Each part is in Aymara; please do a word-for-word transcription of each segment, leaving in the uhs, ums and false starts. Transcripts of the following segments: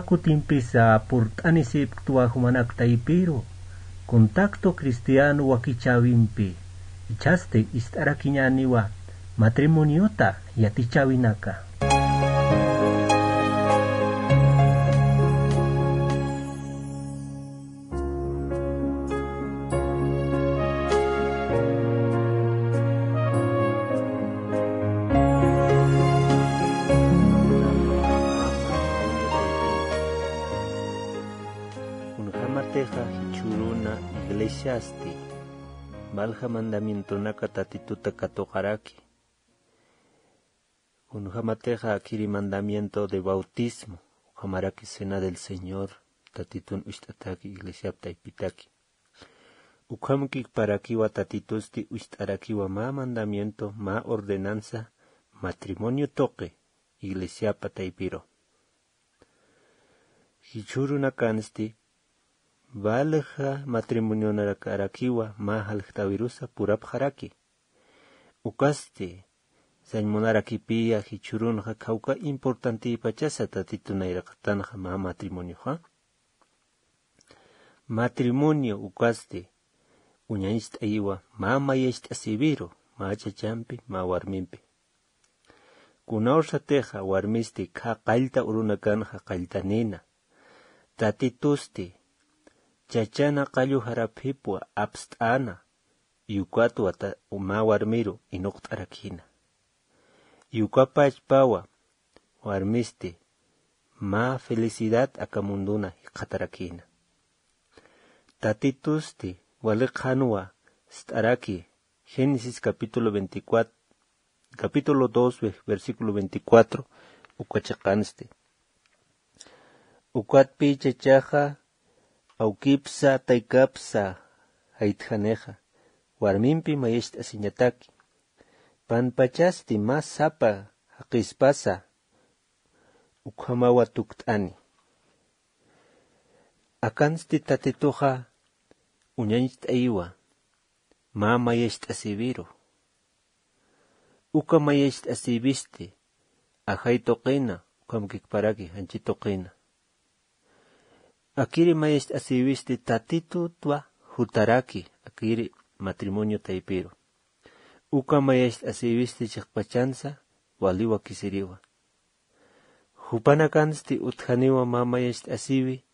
Kutimpisa purt'anisipktwa jumanak taypiru, Contacto Cristiano wakichäwimpi, ichhasti ist'arakiñäniwa matrimoniota yatichäwinaka. Kunjämatixa jichhüruna iglesiasti valja mandamientonaka Tatituta katuqaraki. Kunjämatixa akiri mandamiento de bautismo, ukhamaraki cena del Señor, Tatitun uñt'ataki iglesiap taypitaki. Ukhamkikparakiwa Tatitusti uñt'arakiwa mä mandamiento, mä ordenanza, matrimonio tuqi iglesiapa taypiru. Jichhürunakansti valja matrimonionakarakiwa mä jaljtawirusa purapxaraki. Ukasti sañ munarakipiya jichhürunxa khawka importantïpachasa Tatitu nayraqatanxa mä matrimonioxa. Matrimonio ukasti uñacht'ayiwa mä mayacht'asiwiru, mä chachampi, mä warmimpi. Kunawsatixa warmisti khä qallta urunakanxa qalltanïna, Tatitusti chachana qallu jarapipwa apst'äna, ukatwa mä warmiru inuqt'arakïna. Ukapachpawa warmisti mä felicidad aka munduna jikxatarakïna. Tatitusti wali qhanwa ist'araki, Génesis capítulo veinticuatro, capítulo dos, ve-, versículo veinticuatro, uka chiqansti. Ukatpï chachaxa awkipsa, taykapsa jaytjanixa, warmimpi mayacht'asiñataki. Panpachasti mä sapa jaqispasa ukhamawa tukt'ani. Akansti Tatituxa uñacht'ayiwa mä mayacht'asiwiru. Uka mayacht'asiwisti ajay tuqina, ukhamkikparaki janchi tuqina. Akiri mayacht'asiwisti Tatitutwa jutaraki, akiri matrimonio taypiru. Uka mayacht'asiwisti chiqpachansa wali wakisiriwa. Jupanakansti utjaniwa mä mayacht'asiwi,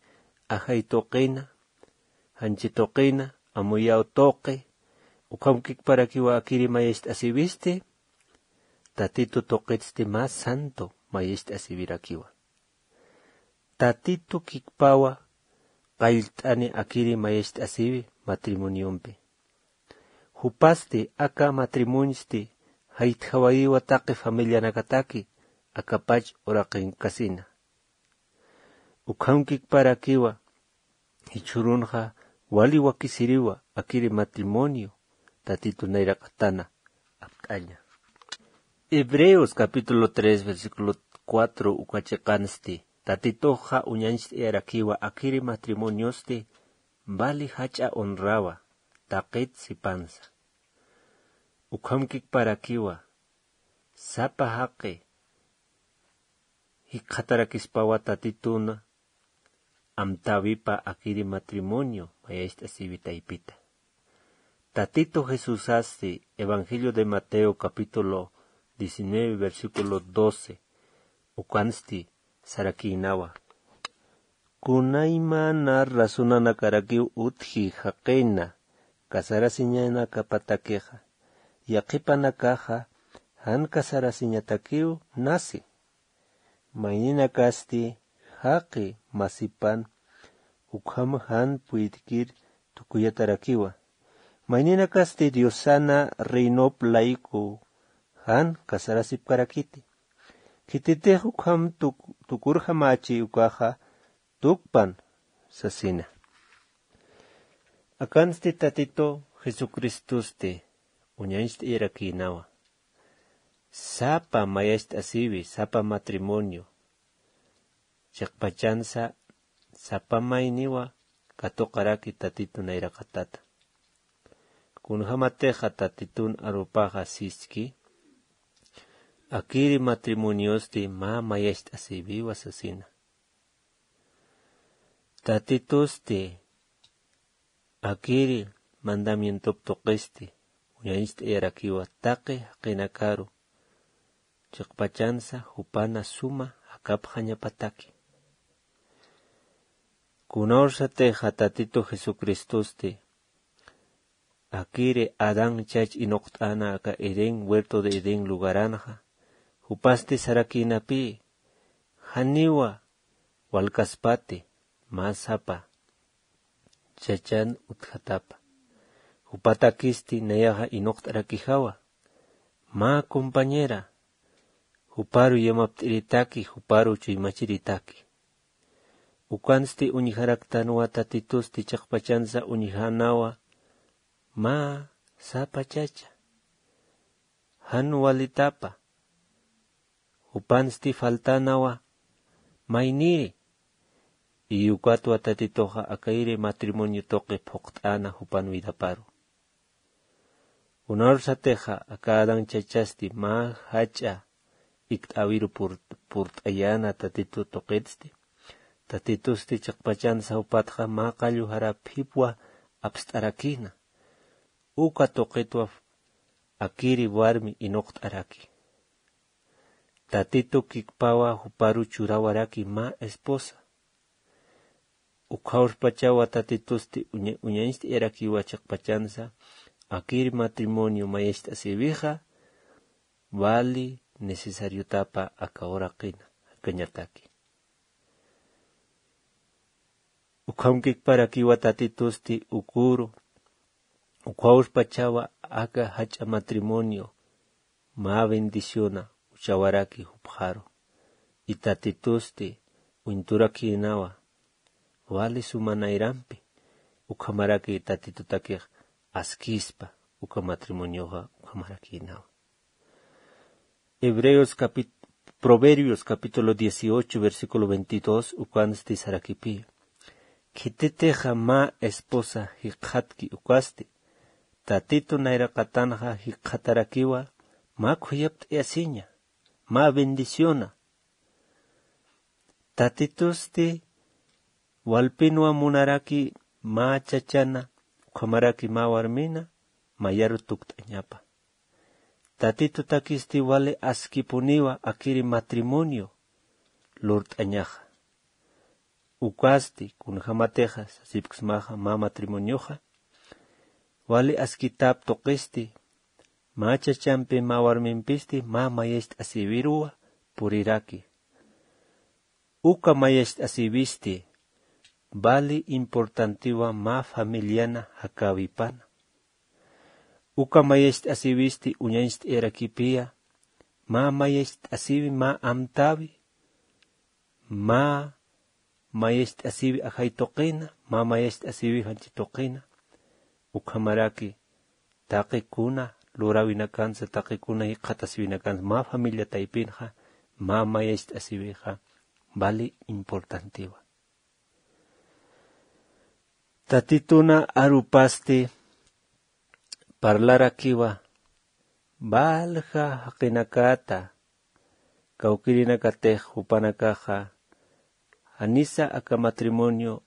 ajay tuqina, janchi tuqina, amuyaw tuqi, ukhamkikparakiwa akiri mayacht'asiwisti, Tatitu tuqitsti mä santo mayacht'asiwirakiwa. Tatitu kikpawa qallt'ani akiri mayacht'asiwi matrimoniompi. Jupasti aka matrimoniosti jaytjawayiwa taqi familianakataki akapach uraqinkasina. Ukhamkikparakiwa jichhürunxa wali wakisiriwa akiri matrimonio Tatitu nayraqatana apt'aña. Hebreos capítulo tres, versículo cuatro uka chiqansti, Tatituxa uñacht'ayarakiwa akiri matrimoniosti vali jach'a honrawa, taqit sipansa. Ukhamkikparakiwa sapa jaqi jikxatarakispawa Tatituna amtäwipa akiri matrimonio mayacht'asiwi taypita. Tatitu Jesusasti Evangelio de Mateo capítulo diecinueve, versículo doce, ukansti sarakïnawa. Kunaymana razonanakarakiw utji jaqina casarasiñanakapatakixa, yaqhipanakaxa jan casarasiñatakiw nasi. Mayninakasti jaqi masipan ukham jan puytkir tukuyatarakiwa. Mayninakasti Diosana reinop layku jan casarasipkarakiti. Khititix ukham tuk-, tukurjamächi ukaxa tukpan sasina. Akansti Tatitu Jesucristosti uñacht'ayarakïnawa. Sapa mayacht'asiwi, sapa matrimonio, chiqpachansa sapa mayniwa katuqaraki Tatitu nayraqatata. Kunjämatixa Tatitun arupaxa siski, akiri matrimoniosti mä mayacht'asiwiwa sasina. Tatitusti akiri mandamientop tuqisti uñañcht'ayarakiwa taqi jaqinakaru chiqpachansa jupana suma jakapxañapataki. Kunawsatixa tatitu jesucristosti akiri adán chach inuqt'ana aka edén huerto de edén lugaranxa jupasti sarakïnapï janiwa walkaspati mä sapa chachan utjatapa. Jupatakisti nayaxa inuqt'arakijawa mä compañera juparu yamapt'iritaki juparu chuymachiritaki. Ukansti uñjaraktanwa tatitusti chiqpachansa uñjänawa mä sapa chacha jan walitapa. Jupansti faltanawa mayniri iyukatwa tatituxa akayri matrimonio tuqi phuqt'ana jupan vidaparu. Unarsatixa aka adán chachasti mä jach'a ikt'awiru purt'ayana tatitu tuqitsti tatitusti chiqpachansa jupatxa mä qallu jaraphipwa apst'arakina. Uka tuqitwa akiri warmi inuqt'araki. Tatitu kikpawa juparu churawaraki mä esposa. Ukhawspachawa tatitusti uñañcht'ayarakiwa chiqpachansa akiri matrimonio mayacht'asïwixa wali necesariotapa aka uraqina jakañataki. Ukham kikparakiwa tatitusti ukuru ukhawspachawa aka jach'a matrimonio mä bendiciona uchawaraki jupxaru. Itatitusti uñturakïnawa wali sumanayrampi ukhamaraki tatitutakix askispa uka matrimonioxa ukhamarakïnawa. Hebreos proverbios capítulo dieciocho versículo veintidós ukansti sarakipi. Khititixa mä esposa jikxatki ukasti tatitu nayraqatanxa jikxatarakiwa mä khuyapt'ayasiña mä bendiciona. Tatitusti walpinwa munaraki mä chachana ukhamaraki mä warmina mayaru tukt'añapa. Tatitutakisti wali askipuniwa akiri matrimonio lurt'añaxa. Ukasti kunjämatixa sasipksmaxa mä matrimonioxa wali askitap tuqisti mä chachampi mä warmimpisti mä mayacht'asïwiruwa puriraki. Uka mayacht'asïwisti vali importantiwa mä familiana jakäwipana. Uka mayacht'asïwisti uñañcht'ayarakipiya mä mayacht'asïwi mä amtäwi mä mayacht'asïwi ajay tuqina mä mayacht'asïwi janchi tuqina. Ukhamaraki taqi kuna luräwinakansa taqi kuna jikxatasïwinakansa mä familia taypinxa mä mayacht'asïwixa vali importantiwa. Tatituna arupasti parlarakiwa valja jaqinakata kawkirinakatix jupanakaxa janisa aka matrimonio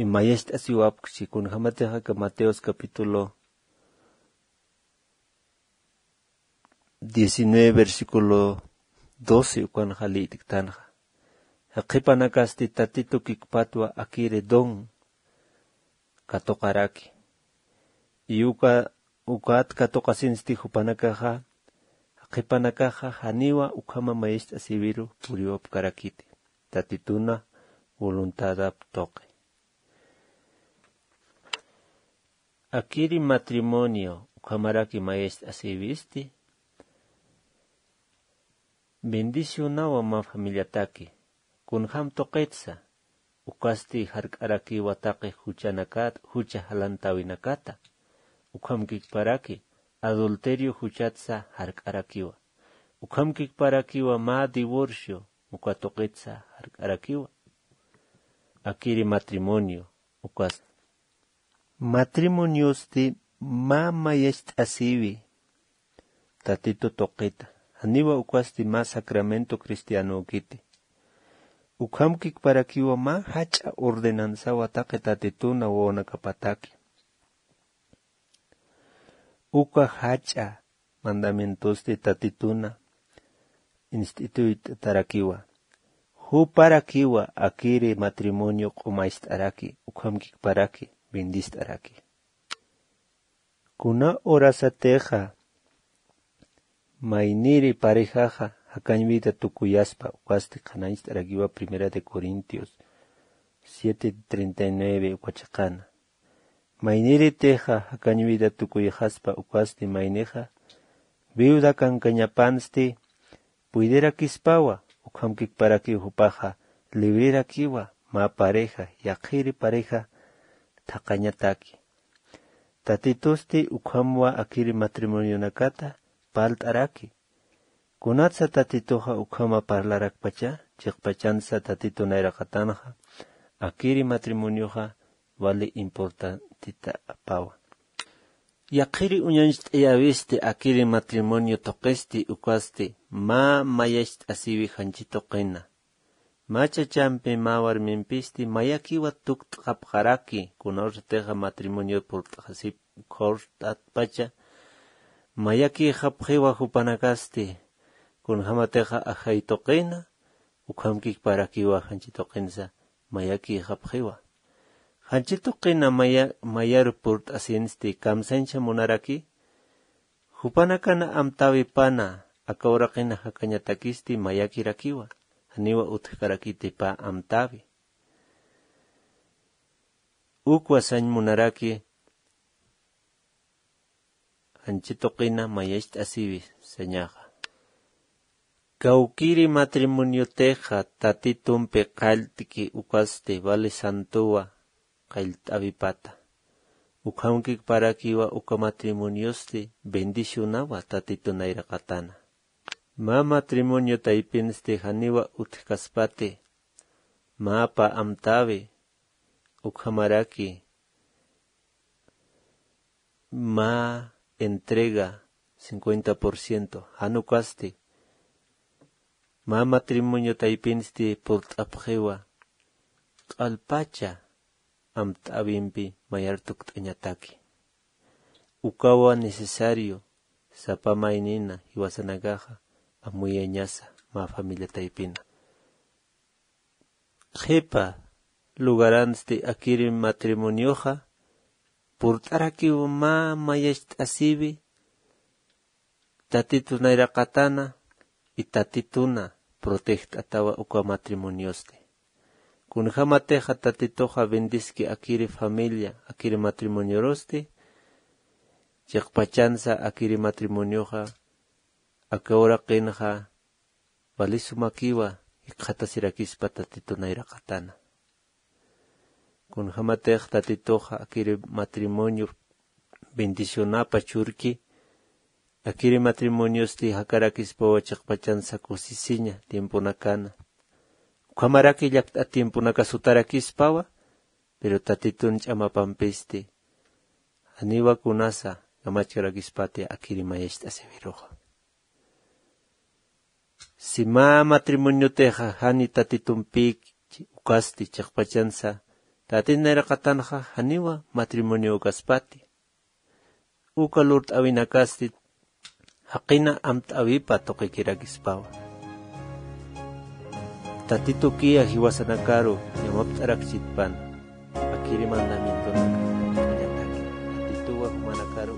mayacht'asiwapkchi kunjämatix aka mateos capítulo diecinueve versículo doce ukanxa lït'ktanxa. Jaqhipanakasti tatitu kikpatwa akiri don katuqaraki. Iyuka ukat katuqasinsti jupanakaxa jaqhipanakaxa janiwa ukhama mayacht'asïwiru puriwapkarakiti tatituna voluntadap tuqi. Akiri matrimonio ukhamaraki mayacht'asïwisti bendicionawa mä familiataki. Kunjam tuqitsa ukasti jark'arakiwa taqi juchanakat jucha jalantäwinakata. Ukham kikparaki adulterio juchatsa jark'arakiwa. Ukham kikparakiwa mä divorcio uka tuqitsa jark'arakiwa. Akiri matrimonio ukas matrimoniosti mä mayacht'asïwi tatitu tuqita. Janiwa ukasti mä sacramento cristianökiti. Ukhamkikparakiwa mä jach'a ordenanzawa taqi tatituna wawanakapataki. Uka jach'a mandamientosti tatituna inst'ituyt'arakiwa. Juparakiwa akiri matrimonio q'umayst'araki, ukhamkikparaki bendist'araki. Kuna horasatixa mayniri parejaxa jakañ vida tukuyaspa, ukasti qhanañcht'arakiwa Primera de Corintios siete treinta y nueve uka chiqana. Mayniritixa jakañ vida tukuyxaspa, ukasti maynixa viuda kankañapansti puydirakispawa, ukhamkikparakiw jupaxa librerakiwa mä pareja, yaqhiri pareja thaqañataki. Tatitusti ukhamwa akiri matrimonionakata parlt'araki. Kunatsa Tatituxa ukhama parlarakpacha, chiqpachansa Tatitu nayraqatanxa akiri matrimonioxa wali importantita apawa. Yaqhiri uñañcht'ayäwisti akiri matrimonio tuqisti, ukasti mä mayacht'asiwi janchi tuqina. Mä chachampi mä warmimpisti mayakiwa tukt'xapxaraki, kunawsatixa matrimonio purt'xasip khurt'atpacha mayakïxapxiwa jupanakasti, kunjamatixa ajay tuqina, ukhamkikparakiwa janchi tuqinsa mayakïxapxiwa. Janchi tuqina maya, mayaru purt'asinsti kamsañcha munaraki, jupanakana amtäwipana, aka uraqina jakañatakisti mayakirakiwa, janiwa utjkarakiti pä amtäwi. Ukwa sañ munaraki, janchi tuqina mayacht'asiwi sañaxa. Kawkiri matrimoniotixa Tatitumpi qallt'ki, ukasti vale santowa qallt'äwipata. Ukhamkikparakiwa uka matrimoniosti bendicionawa Tatitu nayraqatana. Mä matrimonio taypinsti janiwa utjkaspati, mä pä amtäwi, ukhamaraki mä entrega cincuenta por ciento, jan ukasti mä matrimonio taypinsti purt'apxiwa q'alpacha amt'äwimpi mayar tukt'añataki. Ukawa necesario sapa maynina jiwasanakaxa amuyañasa mä familia taypina. Qhipa lugaransti akiri matrimonioxa purt'arakiw mä mayacht'asiwi, Tatitu nayraqatana y Tatituna protejt'atawa uka matrimoniosti. Kunjamatixa Tatituxa bendiski akiri familia, akiri matrimoniorosti, chiqpachansa akiri matrimonioxa aka uraqinxa vali sumakiwa jikxatasirakispa Tatitu nayraqatana. Kunjamatix Tatituxa akiri matrimonio bendicionapa churki, akiri matrimoniosti jakarakispawa chiqpachansa kusisiña tiemponakana. Ukhamaraki llakt'a tiemponakas sutarakispawa, pero Tatitun ch'amapampisti janiwa kunasa kamachkarakispati akiri mayacht'asiwiruxa. Si mä matrimoniotixa jani Tatitumpïki ukasti chiqpachansa, Tatit nayraqatanxa janiwa matrimonio ukaspati. Uka lurt'äwinakasti jaqina amt'äwipa tuqikirakispawa. Tatitukiya jiwasanakaru yamapt'arakchitpana, akiri mandamientonaka, Tatituwa jumanakaru